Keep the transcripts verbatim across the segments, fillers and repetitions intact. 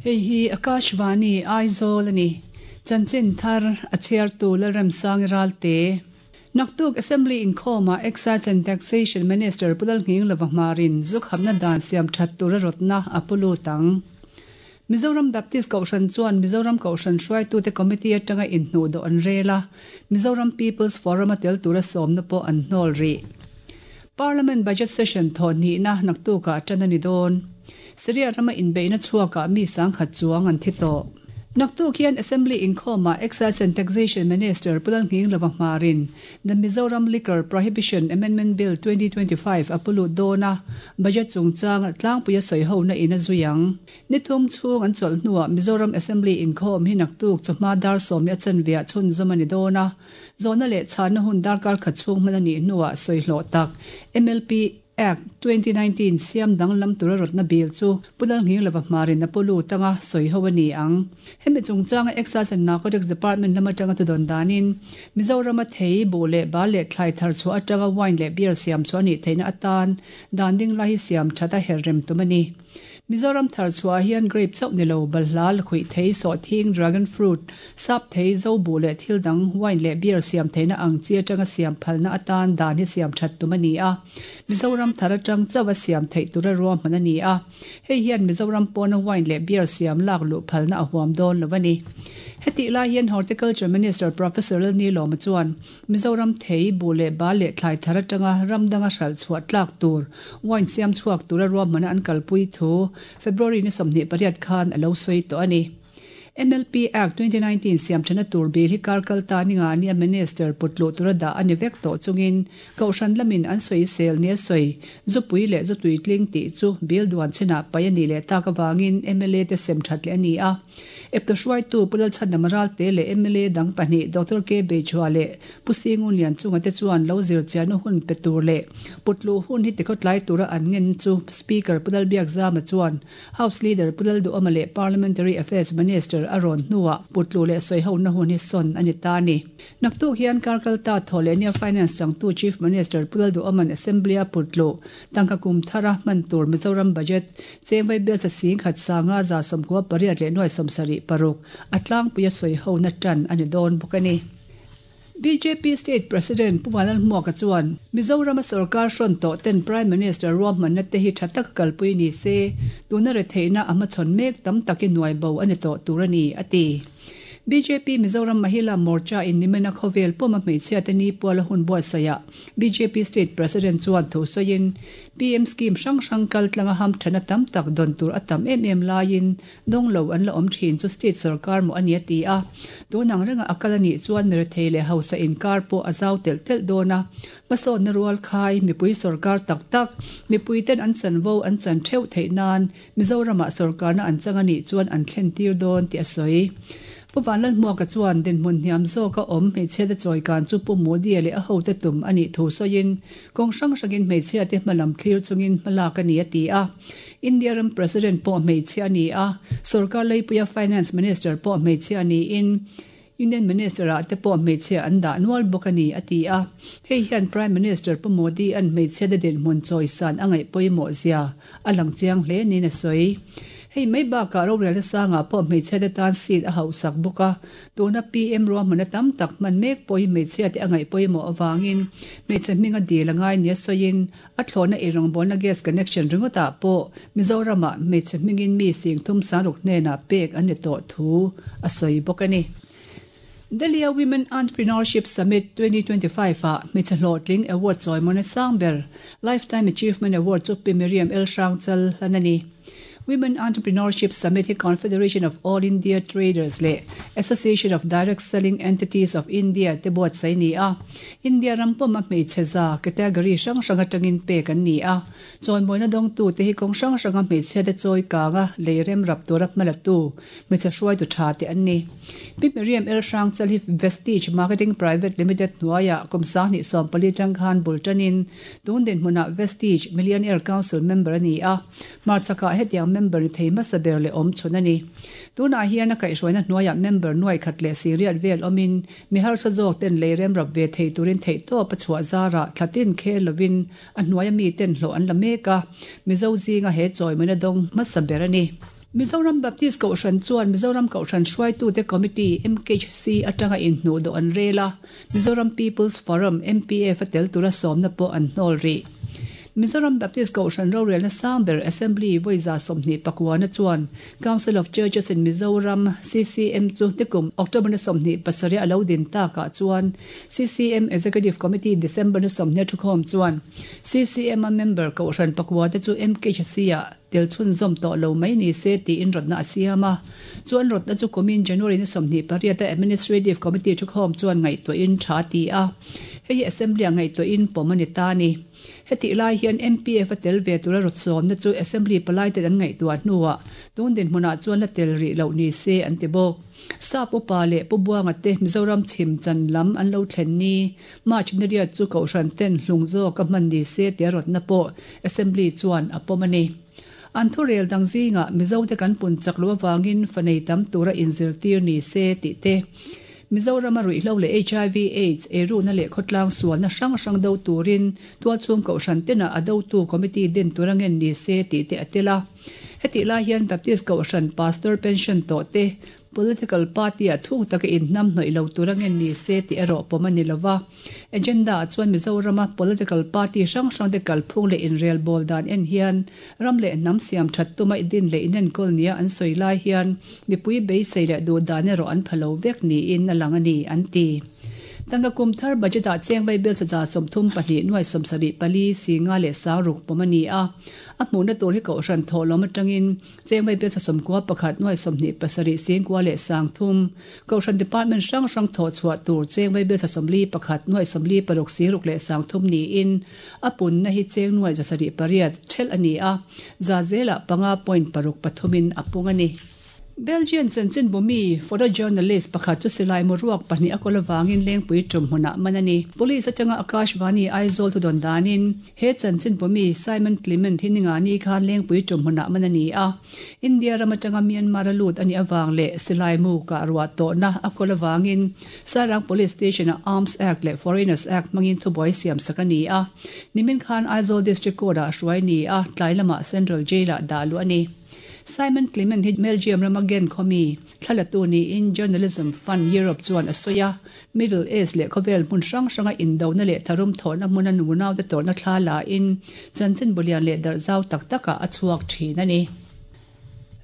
Hei hi Akashvani Aizawl ani. Chanchin thar a chhiartu Lalremsangi Ralte. Naktuk Assembly inkhawma Excise and Taxation Minister Pu Lalnghinglova Hmarin zu khamna dan siam that tura rawtna a pu lut ang. Mizoram Baptist Kohhran chuan Mizoram Kohhran hruaitute Committee atanga inhnuh dawh an rel a, Mizoram People's Forum a tel tura sawmna pawh an hnawl rih. Parliament Budget Session thawhnihna naktukah tan a ni dawn. Syria rama inbeihna chhuakah mi sangkhat chuang an thi tawh. Naktuk hian Assembly inkhawmah Excise and Taxation Minister Pu Lalnghinglova Hmarin The Mizoram Liquor Prohibition Amendment Bill twenty twenty five a pu lut dawn a, budget chungchanga tlangpuia sawi hona in a zui ang. Ni thum chhung an chawlh hnuah Mizoram Assembly inkhawm hi naktuk chawhma dar sawmli a chanveah chhunzawm a ni dawn a, zawhna leh chhanna hun darkar khat chhung hman a nih hnuah sawi hlawh tak M L P Act twenty nineteen siam danglam tura rawtna bil chu Pu Lalnghinglova Hmarin a pu lut anga sawi ho a ni ang. Hemi chungchanga Excise and Narcotics Department lam atanga tudawn danin Mizorama thei buh leh bal leh thlai thar chhuah atanga wine leh beer siam chhuah a nih theihna atan dan ding lai hi siam that a her rem tum a ni. Mizoram thar chhuah hian grape chauh ni lo, balhla, lakhuih thei, sawhthing, dragon fruit, sap thei, zo buh leh thil dang wine leh beer siam theihna ang chi atanga siam phalna atan dan hi siam that tum a ni a. Mizoram thar atang chauh a siam theih tura ruahman a ni a. Hei hian Mizoram pawna wine leh beer siam lak luh phalna a huam dawn lo a ni. Hetih lai hian Horticulture Minister Professor Lalnilawma chuan Mizoram thei, buh leh bal leh thlai thar atanga ram danga hralh chhuah tlak tur wine siam chhuak tura ruahmana an kalpui thu February ni sawmhnih pariat khan a lo sawi tawh a ni. M L P Act twenty nineteen siam thana tur bil hi kar kal ta ni nga nia Minister putluh tura dah a ni vek tawh chungin Kohhran lamin an sawi sel nia sawi zupui leh zutui tling tih chu bil duan chinah pai a nih leh tak avangin M L A te sem that leh a ni a. Eptu hruaitu Pu Lalchhandam Ralte leh M L A dang pahnih Doctor K Beichhua leh Pu Singun Lian chunga te chuan lo zir chiahna hun pe tur leh putluh hun hi tikhawtlai tura an ngen chu Speaker Pu Lalbiakzama chuan House Leader Pu Lalduhawma leh Parliamentary Affairs Minister a rawn hnuah putluh leh sawi hona hun hi sawn a ni ta a ni. Naktuk hian Karkalta thaw leh nia Finance changtu Chief Minister Pu Lalduhoma'n Assembly a putluh tangka kum thara hman tur Mizoram Budget chengvai bel cha sing khat sanga za sawmkua pariat leh nuai sawmsarih paruk a tlangpui a sawi hona tan a ni dawn bawk a ni. B J P State President Pu Vanlalhmuaka chuan Mizorama sarkar hrawn tawh ten Prime Minister ruahmanna te hi tha taka kalpui ni se, tuna re theihna a hmachhawn mek tam takin nuai bo a ni tawh tur a ni, a ti. B J P Mizoram Mahila Morcha in nimena khawvel pawma hmeichhia te ni puala hun buatsaihah B J P State President chuan thu sawiin P M scheme hrang hrang kal tlanga ham thana tam tak dawn tur a tam em em laiin dawng lo an la awm thin chu state sarkar maw a ni a ti a. Tunang renga a kal a nih chuan mirethei leh hausa inkar pawh a zau telh telh dawn a. Hmasawnna rual khai mipui sarkar tak tak mipui ten an chanvo an chan theuh theih nan Mizoramah sarkarna an chang a nih chuan an thlen tir dawn tih a sawi. Pu Vanlalhmuaka chuan dinhmun hniam zawka awm hmeichhia te chawikan chu Pu Modi leh a hote tum a nih thu sawiin kawng hrang hrangin hmeichhia te hmalam thlir chungin hmalak a ni a ti a. India ram President pawh hmeichhia a ni a, sarkar leipuia Finance Minister pawh hmeichhia a niin Union Minister ah te pawh hmeichhia an dah nual bawk a ni a ti a. Hei hian Prime Minister Pu Modi an hmeichhia te dinhmun chawisan a ngaih pawimawh zia a lang chiang hle niin a sawi. Hei mai bakah rorel te sangah pawh hmeichhia te tan seat a hauhsak bawk a, tuna P M ruahmana tam tak hman mek pawh hi hmeichhia te a ngaih pawimawh avangin hmeichhe hminga dil a ngai nia sawiin a thlawhna ei rawngbawlna gas connection ringawtah pawh Mizoramah hmeichhe hmingin mi singthum sangruk hnenah pek an ni tawh thu a sawi bawk a ni. Delhi Women Entrepreneurship Summit twenty twenty-five ah hmeichhe hlawhtling award chawimawna sangber Lifetime Achievement Award chu Pi Miriam El Hrangchal hlan a ni. Women Entrepreneurship Summit hi Confederation of All India Traders leh Association of Direct Selling Entities of India te buatsaih ni a. India ram pawma hmeichhe za category hrang hrang atangin pek an ni a. Chawimawina dawngtu te hi kawng hrang hranga hmeichhia te chawi kanga lei rem rap tura hmalatu hmeichhe hruaitu tha te an ni. Pi Miriam El Hrangchal hi Vestige Marketing Private Limited hnuaiah kum sanghnih sawmpali tang khan bultanin tun dinhmunah Vestige Millionaire Council member a ni a. Marchakah hetiang member ni thei hmasa ber leh awm chhun a ni. Tunah hian a kaihhruaina hnuaiah member nuai khat leh siriat vel awmin mi harsa zawk ten lei rem rap ve thei turin theih tawp a chhuah zarah thlatin khel lovin a hnuaia mi ten hlawh an la mek a. Mizo zinga he chawimawina dawng hmasa ber a ni. Mizoram Baptist Kohhran chuan Mizoram Kohhran Hruaitute Committee, M K H C, atanga inhnuh dawh an rel a, Mizoram People's Forum, M P F, a tel tura sawmna pawh an hnawl rih. Mizoram Baptist Kohhran rorelna sang ber Assembly vawi za sawmhnih pakuana chuan Council of Churches in Mizoram, C C M, chu nikum October ni sawmhnih pasarih a lo din takah chuan C C M Executive Committee December ni sawmhnih thukhawm chuan C C M a member Kohhran pakua te chu M K H C ah tel chhunzawm tawh lo mai ni se tiin rawtna a siam a. Chuan rawtna chu kumin January ni sawmhnih pariat a Administrative Committee thukhawm chuan ngaihtuahin tha ti a, hei hi Assembly a ngaihtuahin pawm a ni ta ni. Heti lai hian M P F a tel ve tura rawt sawmna chu Assembly palai te an ngaihtuah hnuah tun dinhmunah chuan la tel rih loh ni se an ti bawk. Sap upa leh Pu Buanga te Mizoram chhim chan lam an lo thlen ni March ni riat chu Kohhran ten hlung zawk a hman ni se tia rawtna pawh Assembly chuan a pawm a ni. An thu rel dang zinga Mizo te kan pun chak lo awangin fanei tam tura inzirtir ni se tih te, Mizoram a ruihhlo leh H I V AIDS, eirukna leh khawtlang sualna hrang hrang do turin tualchhung Kohhran tena a dotu committee din tura ngen ni se tih te a tel a. Hetih lai hian Baptist Kohhran pastor pension tawh te political party a thuk taka inhnam hnawih lo tura ngen ni se tih erawh pawm a ni lova. Agenda ah chuan Mizorama political party hrang hrang te kalphung leh inrel bawl dan en hian ram leh hnam siam that tuma din leh inenkawl nia an sawi lai hian mipui beisei leh duh dan erawh an pha lo vek niin a lang a ni an ti. Tangka kum thar budget ah cheng vaibel chaw za sawmthum pahnih nuai sawmsarih pali singa leh sangruk pawm a ni a. A hmuhna tur hi Kohhran thawhlawm atangin cheng vaibel chaw sawmkua pakhat nuai sawmhnih pasarih singkua leh sangthum, Kohhran department hrang hrang thawh chhuah tur cheng vaibel chaw sawmli pakhat nuai sawmli paruk singruk leh sangthum niin a punna hi cheng nuai zasarih pariat thel a ni a, za zelah panga point paruk pathumin a pung a ni. Belgian chanchin bumi photojournalist pakhat chu silai mu ruak pahnih a kawl awangin Lengpui tum hmunah man a ni. Police atanga Akashvani Aizawl thu dawn danin he chanchin bumi Simon Clement hi ninga ni khan Lengpui tum hmunah man a ni a. India ram atanga Myanmar a lut ani awang leh silai mu ka ruah tawhna a kawl awangin Sairang Police Station a Arms Act leh Foreigners Act hmangin thubuai siam sak a ni a. Nimin khan Aizawl District Court ah hruai ni a, tlai lamah Central Jail ah dah luh a ni. Simon Clement hi Belgium rama Gent khawmi thlalatu niin Journalism Fund Europe chuan a sawi a. Middle East leh khawvel hmun hrang hranga indona leh tharum thawhna hmuna nunau te tawrhna thla la in chanchin bulian leh darh zau tak takah a chhuak thin a ni.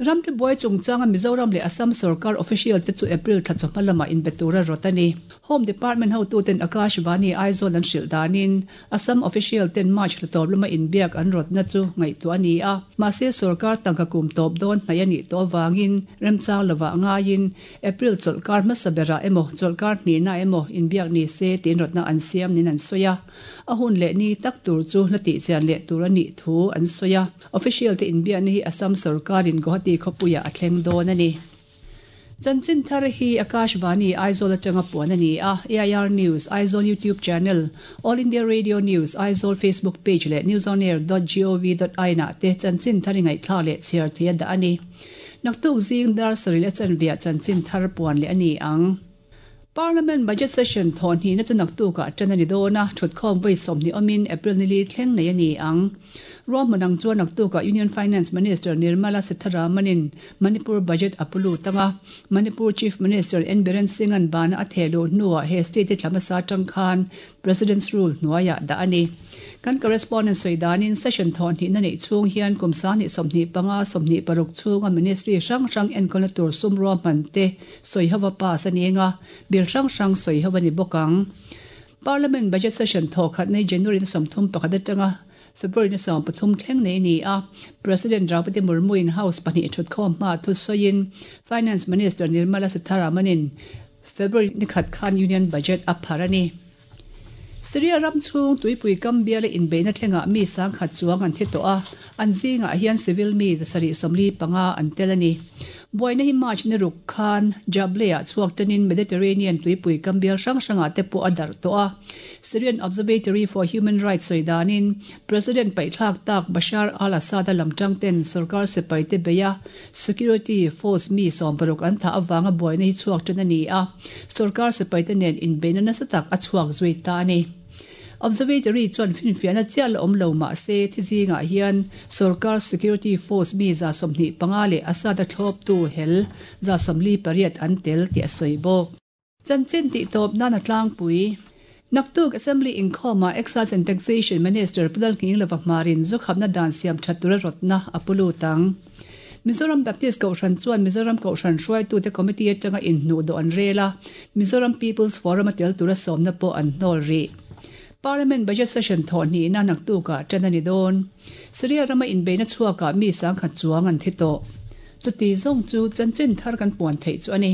Ramri buai chungchanga Mizoram leh Assam sarkar official te chu April thla chawhma lamah inbe tura rawt a ni. Home Department hotuten Akashvani Aizawl an hrilh danin Assam official ten March thla tawp lama inbiak an rawtna chu ngaihtuah a ni a. Mahse sarkar tangka kum tawp dawn hnai a nih tawh awangin remchang lova ngaiin April chawlhkar hmasa berah emaw chawlhkar hnihna emaw inbiak ni se tiin rawtna an siam nin an sawi a. A hun leh ni tak tur chu la tihchian leh tur a nih thu an sawi a. Official te inbiakna hi Assam sarkarin Guwahati khawpuiah a thleng dawn a ni. Chanchin thar hi Akashvani Aizawl atanga puan a ni a. A I R News Aizawl YouTube channel, All India Radio News Aizawl Facebook page leh newsonair dot gov dot in ah te chanchin thar ingaihthla leh chhiar thei a dah a ni. Naktuk zing dar sarih leh chanve chanchin thar puan leh a ni ang. Parliament budget session thawh hnihna chu naktukah tan a ni dawn a, thutkhawm vawi sawmhnih awmin April ni li thleng nei a ni ang. Ruahmanang chuan naktukah Union Finance Minister Nirmala Sitharamanin Manipur budget a pulu tanga. Manipur Chief Minister N Biren Singh-an bana a thehluh hnuah he state thlamasa tang khan President's rule hnuaiah dah a ni. Kan correspondent sawi danin session thawh hnihna neih chhung hian kum sanghnih sawmhnih panga sawmhnih paruk chhunga ministry hrang hrang enkawlna tur sum ruahman te sawi hova pass a ni anga, bill hrang hrang sawi hova ni bawk ang. Parliament budget session thawh khat nei January ni sawmthum pakhat atanga February ni sawm pathum thleng nei ni a. President Draupadi Murmu in House pahnih thutkhawm hma thu sawiin Finance Minister Nirmala Sitharamanin February ni khat khan Union budget a phar a ni. Syria ram chhung tuipui kam bial inbeihna thlengah mi sangkhat chuang an thi tawh a, an zingah hian civil mi zasarih sawmli panga an tel a ni. Buaina hi March ni ruk khan Jableh-ah chhuak tanin Mediterranean tuipui kam bial hrang hrangah te pawh a darh tawh a. Syrian Observatory for Human Rights sawi danin President paihthlak tak Bashar al-Assad a lamtang ten sarkar sipai te beia security force mi sawm paruk an tha awanga buaina hi chhuak tan a ni a. Sarkar sipai te nen inbeihna nasa tak a chhuak zui ta a ni. Observatory chuan finfiahna chiah la awm lo mah se thi zingah hian sorkar security force mi za sawmhnih panga leh Assad-a thlawptu hel za sawmli pariat an tel tih a sawi bawk. Chanchin tih tawp nan a tlangpui. Naktuk Assembly inkhawmah Excise and Taxation Minister Pu Lalnghinglova Hmarin zu khapna dan siam that tura rawtna a pu lut ang. Mizoram Baptist Kohhran chuan Mizoram Kohhran hruaitute Committee atanga inhnuh dawh an rel a, Mizoram People's Forum a tel tura sawmna pawh an hnawl rih. Parliament Budget Session thawh hnihna naktukah ṭan a ni dawn. Syria rama inbeihna chhuakah mi sangkhat chuang an thi tawh. Chuti zawng chu chanchin thar kan puan theih chu a ni.